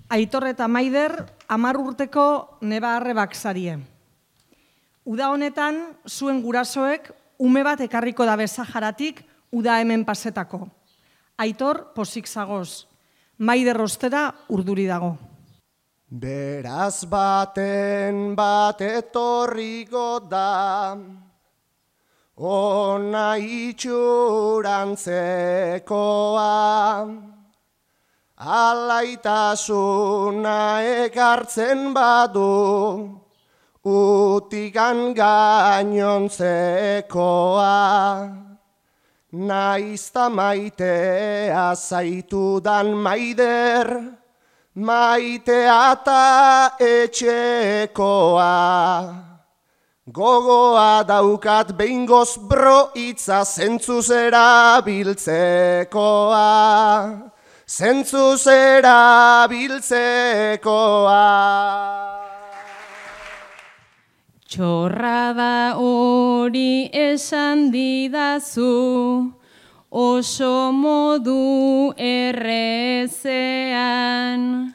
Aitor eta Maider 10 urteko neba arrebak zarie. Uda honetan, zuen gurasoek ume bat ekarriko dabe Saharatik uda hemen pasetako. Aitor posik zagoz, Maider ostera urduri dago. Beraz baten bat etorriko da, ona itxurantzekoa, alaitasuna ekartzen badu, utikan gainontzekoa. Naizta maitea zaitudan Maider, maitea eta etxekoa. Gogoa daukat behingoz bro itza zentzuz erabiltzekoa. Zentzuz erabiltzekoa. Txorrada hori esan didazu, oso modu errezean.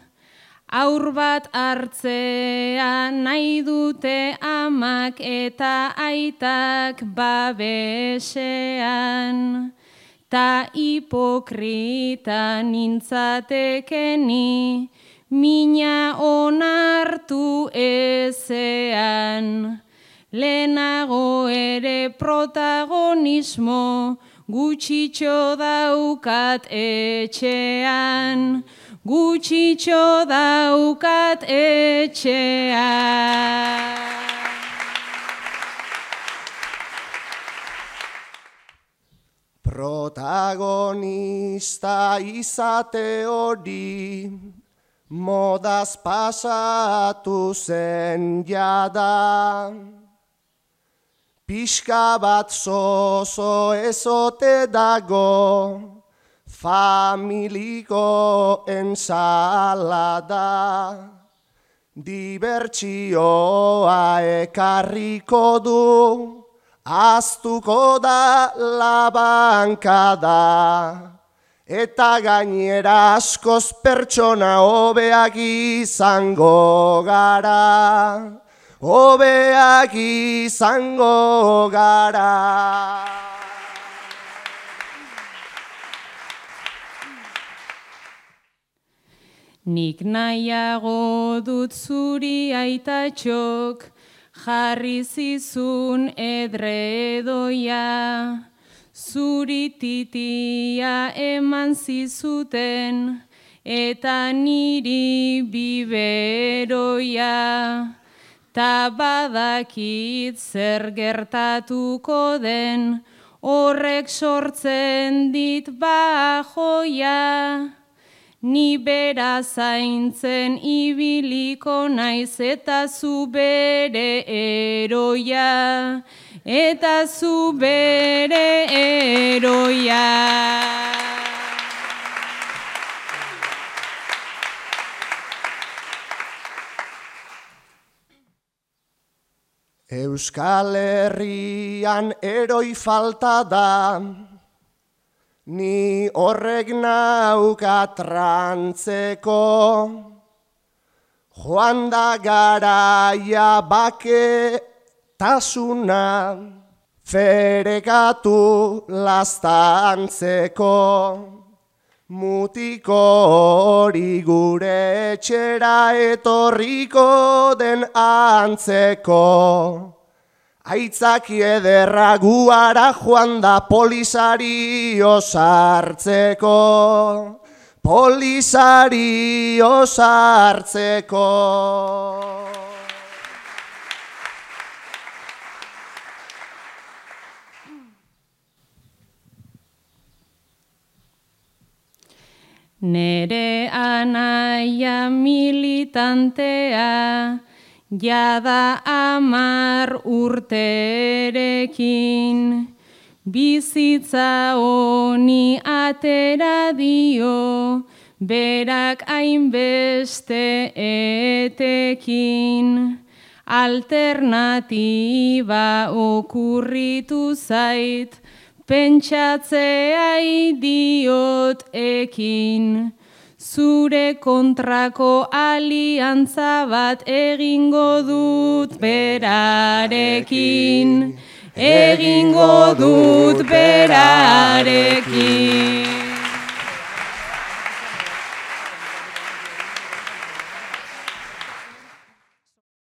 Aur bat hartzean nahi dute amak eta aitak babesean. Ta hipokrita nintzatekeni, mina onartu ezean. Lehenago ere protagonismo gutxitxo daukat etxean. Gutxitxo daukat etxean. Protagonista izate hori, modaz pasatu zen jada. Pixka bat zozo ezote dago, familiko ensalada. Dibertsioa ekarriko du, aztuko da labankada. Eta gainera askoz pertsona hobeak izango gara. Hobeak izango gara. Nik nahiago dut zuri aitatxok, jarri zizun edredoia. Zuri titia eman zizuten, eta niri biberoia. Ta badakit zer gertatuko den, horrek sortzen dit bajoia. Ni bera zaintzen ibiliko naiz eta zu bere eroia. Eta zu bere eroia. Euskal Herrian eroi falta da, ni horrek nauka trantzeko. Joan da garaia baketasuna, ferekatu lastantzeko. Mutiko hori gure etxera etorriko den antzeko. Aitzaki ederra guara joan da polizari osartzeko. Polizari osartzeko. Nere anaia militantea, jada 10 urterekin. Bizitza honi atera dio, berak hainbeste etekin. Alternatiba okurritu zait, pentsatzea idiot ekin. zure kontrako aliantza bat egingo dut berarekin. Egingo dut berarekin.